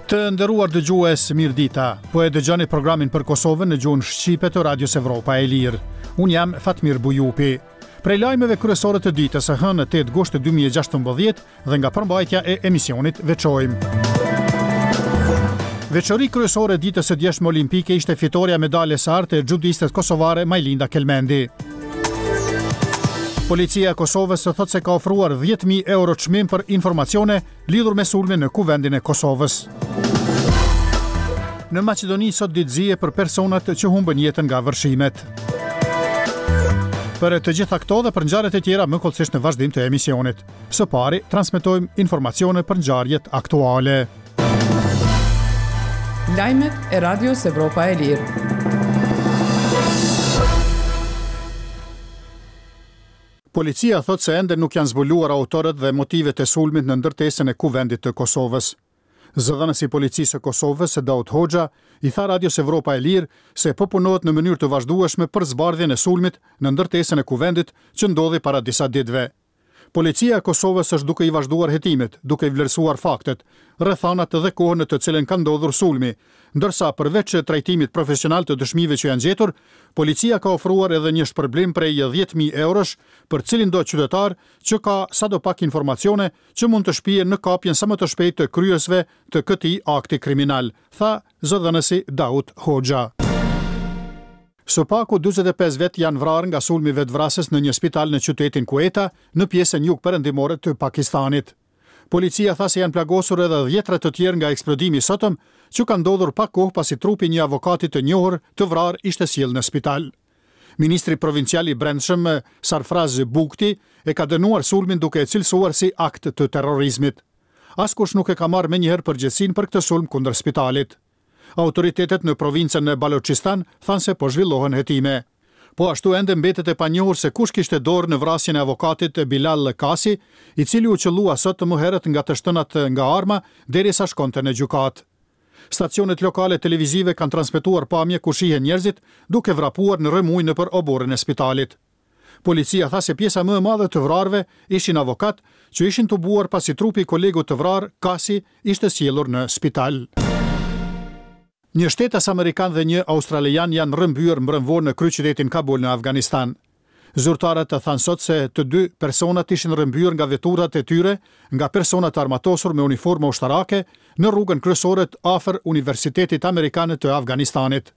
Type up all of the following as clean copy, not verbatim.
Të nderuar dëgjues, mirëdita. Po e dëgjoni programin për Kosovën në gjuhën shqipe të Radios Evropa e Lirë. Unë jam Fatmir Bujupi. Prej lajmeve kryesore të ditës së hënë 8 gusht 2016 dhe nga përmbajtja e emisionit veçojmë. Veçori kryesore e ditës së djeshme olimpike ishte fitorja e medaljes së artë e xhudistes kosovare Majlinda Kelmendi. Policia e Kosovës thotë se ka ofruar 10.000 euro çmim për informacione lidhur me sulmin në Kuvendin e Kosovës. Në Maqedoni sot ditë zie për personat që humbën jetën nga vërshimet. Për të gjitha këto dhe për ngjarjet e tjera më hollësisht në vazhdim të emisionit. Së pari, transmetojmë informacione për ngjarjet aktuale. Lajmet e Radios Evropa e Lirë. Policia thotë se ende nuk janë zbuluar autorët dhe motivet e sulmit në ndërtesën e Kuvendit të Kosovës. Zëdhënësi i Policisë së Kosovës, Daut Hoxha, i tha Radios Evropa e Lirë se po punohet në mënyrë të vazhdueshme për zbardhjen e sulmit në ndërtesën e Kuvendit që ndodhi para disa ditëve. Policia e Kosovës është duke i vazhduar hetimet, duke i vlerësuar faktet, rrethanat dhe kohën në të cilën ka ndodhur sulmi, ndërsa përveç trajtimit profesional të dëshmive që janë gjetur, policia ka ofruar edhe një shpërblim prej 10.000 eurosh për cilindo qytetar që ka sadopak informacione që mund të shpie në kapjen sa më të shpejtë të kryerësve të këtij akti kriminal, tha zëdhënësi Daut Hoxha. Së paku 45 vetë janë vrarë nga sulmi vetëvrasës në një spital në qytetin Kueta, në pjesën jugperëndimore të Pakistanit. Policia tha se janë plagosur edhe dhjetra të tjerë nga eksplodimi i sotëm, që ka ndodhur pak kohë pasi trupi i një avokati të njohur të vrarë ishte sjellë në spital. Ministri provincial i Brendshëm, Sarfraz Bugti, e ka dënuar sulmin duke e cilësuar si akt të terrorizmit. Askush nuk e ka marrë menjëherë përgjegjësinë për këtë sulm kundër spitalit. Autoritetet në provincën e Balochistan thanë se po zhvillohen hetime. Po ashtu ende mbetet e panjohur se kush kishte dorë në vrasjen e avokatit Bilal Kasi, i cili u qëllua sot më herët nga të shtënat nga arma derisa shkonte në gjykatë. Stacionet lokale televizive kanë transmetuar pamje ku shihen njerëzit duke vrapuar në rrëmujë nëpër oborrin e spitalit. Policia tha se pjesa më e madhe të vrarëve ishin avokatë që ishin tubuar pasi trupi i kolegut të vrarë, Kasi, ishte sjellur në spital. Një shtetas amerikan dhe një australian janë rrëmbyer mbrëmë vonë në kryeqytetin Kabul në Afganistan. Zyrtarët thanë sot se të dy personat ishin rrëmbyer nga veturat e tyre nga persona të armatosur me uniforma ushtarake në rrugën kryesore afër Universitetit Amerikan të Afganistanit.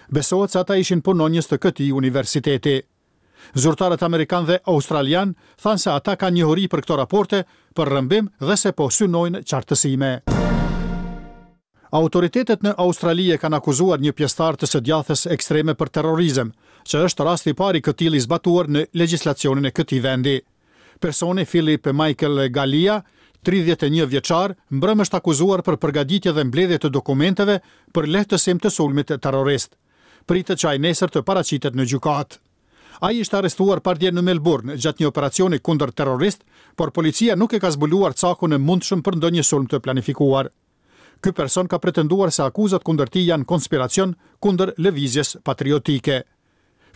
Besohet se ata ishin punonjës të këtij universiteti. Zyrtarët amerikanë dhe australianë thanë se ata kanë njohuri për këto raporte për rrëmbim dhe se po synojnë qartësime. Autoritetet në Australi e kanë akuzuar një pjesëtar të së djathtës ekstreme për terrorizëm, që është rasti i parë i këtillë i zbatuar në legjislacionin e këtij vendi. Personi Philip Michael Gallia, 31 vjeçar, mbrëmë është akuzuar për përgatitje dhe mbledhje të dokumenteve për lehtësim të sulmit terrorist. Pritet që ai nesër të paraqitet në gjykatë. Ai ishte arrestuar pardje në Melbourne gjatë një operacioni kundër terrorist, por policia nuk e ka zbuluar cakun e mundshëm për ndonjë sulm të planifikuar. Ky person ka pretenduar se akuzat kundër tij janë konspiracion kundër lëvizjes patriotike.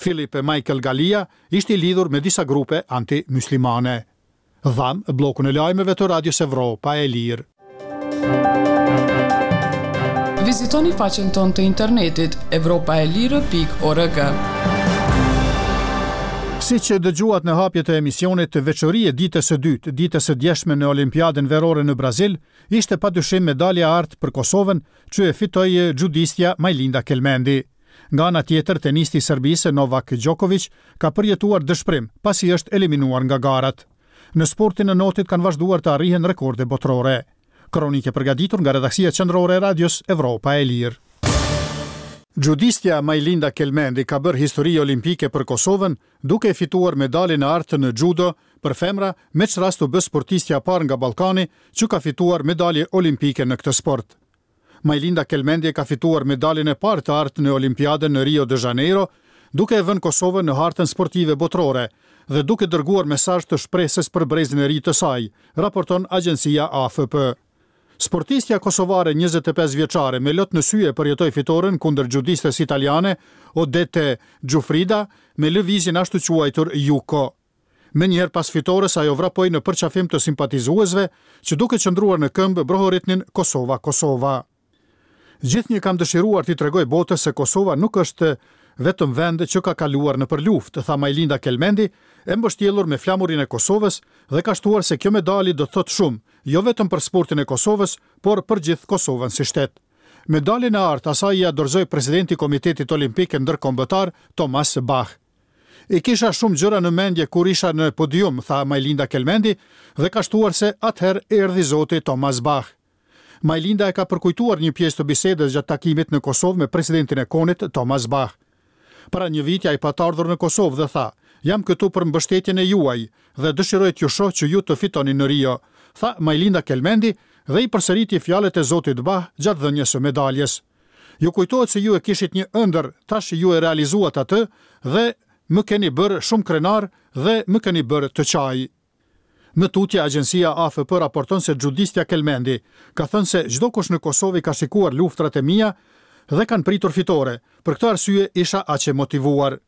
Philip Michael Gallia ishte i lidhur me disa grupe anti-myslimane. Dhamë bllokun e lajmeve të Radios Evropa e Lirë. Vizitoni faqen tonë të internetit evropaelire.org. Siç dëgjuat në hapje të emisionit, veçori e ditës së dytë, ditës së djeshme në Olimpiadën Verore në Brazil, ishte padyshim medalja e artë për Kosovën, që e fitoi xhudistja Majlinda Kelmendi. Nga ana tjetër, tenisti i Serbisë, Novak Djokovic, ka përjetuar dëshpërim, pasi është eliminuar nga garat. Në sportin e notit kanë vazhduar të arrihen rekorde botërore. Kronikë e përgatitur nga redaksia qendrore e Radios Evropa e Lirë. Xhudistja Majlinda Kelmendi ka bërë histori olimpike për Kosovën, duke e fituar medaljen e artë në xhudo për femra, me ç'rast u bë sportistja e parë nga Ballkani që ka fituar medalje olimpike në këtë sport. Majlinda Kelmendi e ka fituar medaljen e parë të artë në Olimpiadën në Rio de Janeiro, duke e vënë Kosovën në hartën sportive botërore dhe duke dërguar mesazh të shpresës për brezin e ri të saj, raporton agjencia AFP. Sportistja kosovare 25 vjeçare me lot në sy e përjetoi fitoren kundër xhudistes italiane Odette Giuffrida me lëvizjen ashtuquajtur Yuko. Menjëherë pas fitores ajo vrapoi në përqafim të simpatizuesve që duke qëndruar në këmbë brohoritnin Kosova Kosova. Gjithnjë kam dëshiruar t'i tregoj botës se Kosova nuk është vetëm vend që ka kaluar nëpër luftë, tha Majlinda Kelmendi, e mbështjellur me flamurin e Kosovës dhe ka shtuar se kjo medalje do të thotë shumë, jo vetëm për sportin e Kosovës, por për gjithë Kosovën si shtet. Medaljen e artë asaj ia dorëzoi presidenti i Komitetit Olimpik Ndërkombëtar, Thomas Bach. I kisha shumë gjëra në mendje kur isha në podium, tha Majlinda Kelmendi dhe ka shtuar se atëherë erdhi zoti Thomas Bach. Majlinda e ka përkujtuar një pjesë të bisedës gjatë takimit në Kosovë me presidentin e KON-it, Thomas Bach. Para një viti ai pat ardhur në Kosovë dhe tha, Jam këtu për mbështetjen e juaj dhe dëshiroj t'ju shoh që ju të fitoni në Rio, tha Majlinda Kelmendi dhe i përsëriti fjalët e zotit Bach gjatë dhënies së medaljes. Ju kujtohet se ju e kishit një ëndërr, tash ju e realizuat atë dhe më keni bërë shumë krenar dhe më keni bërë të qaj. Më tutje, agjencia AFP raporton se xhudistja Kelmendi ka thënë se çdokush në Kosovë i ka shikuar luftërat e mia dhe kanë pritur fitore, për këtë arsye isha aq e motivuar.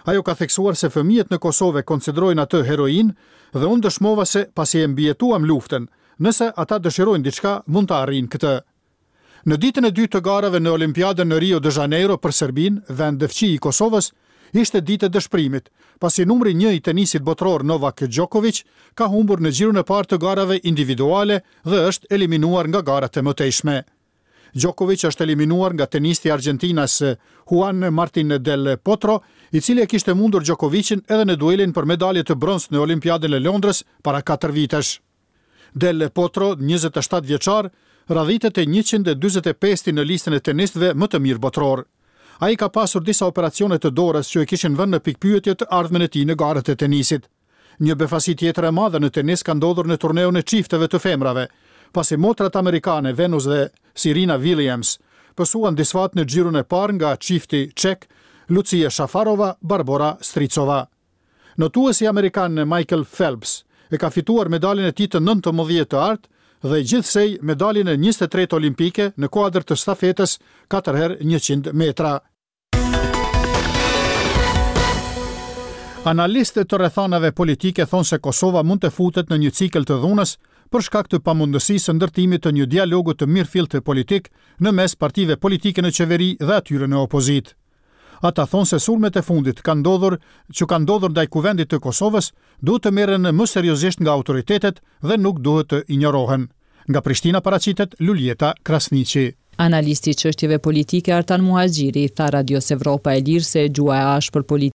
Ajo ka theksuar se fëmijët në Kosovë e konsiderojnë atë heroinë dhe unë dëshmova se pasi e mbijetuam luftën, nëse ata dëshirojnë diçka mund ta arrijnë këtë. Në ditën e dytë të garave në Olimpiadën në Rio de Janeiro për Serbinë, vend fqinj i Kosovës, ishte ditë e dëshpërimit, pasi numri një i tenisit botëror Novak Djokovic ka humbur në xhiron e parë të garave individuale dhe është eliminuar nga garat e mëtejshme. Djokovic është eliminuar nga tenisti argjentinas Juan Martin del Potro, i cili e kishte mundur Djokovicin edhe në duelin për medalje të bronztë në Olimpiadën e Londrës para katër vitesh. Del Potro, 27 vjeçar, radhitet e 145-ti në listën e tenistëve më të mirë botëror. Ai ka pasur disa operacione të dorës që e kishin vënë në pikëpyetje të ardhmen e tij në garat e tenisit. Një befasi tjetër e madhe në tenis ka ndodhur në turneun e çifteve të femrave, pasi motrat amerikane Venus dhe Serena Williams pësuan disfatë në xhiron e parë nga çifti çek Lucie Shafarova, Barbora Stricova. Notuesi amerikan Michael Phelps e ka fituar medaljen e tij të 19 të artë dhe gjithsej medaljen e 23 olimpike në kuadër të stafetës 4 herë 100 metra. Analistët të rrethanave politike thonë se Kosova mund të futet në një cikël të dhunës për shkak të pamundësisë së ndërtimit të një dialogu të mirëfilltë politik në mes partive politike në qeveri dhe atyre në opozitë. Ata thonë se sulmet e fundit kanë ndodhur që kanë ndodhur ndaj Kuvendit të Kosovës duhet të merren më seriozisht nga autoritetet dhe nuk duhet të injorohen. Nga Prishtina paraqitet Luljeta Krasniqi. Analisti i çështjeve politike Artan Muhaxhiri i tha Radios Evropa e Lirë se gjuha e ashpër politike.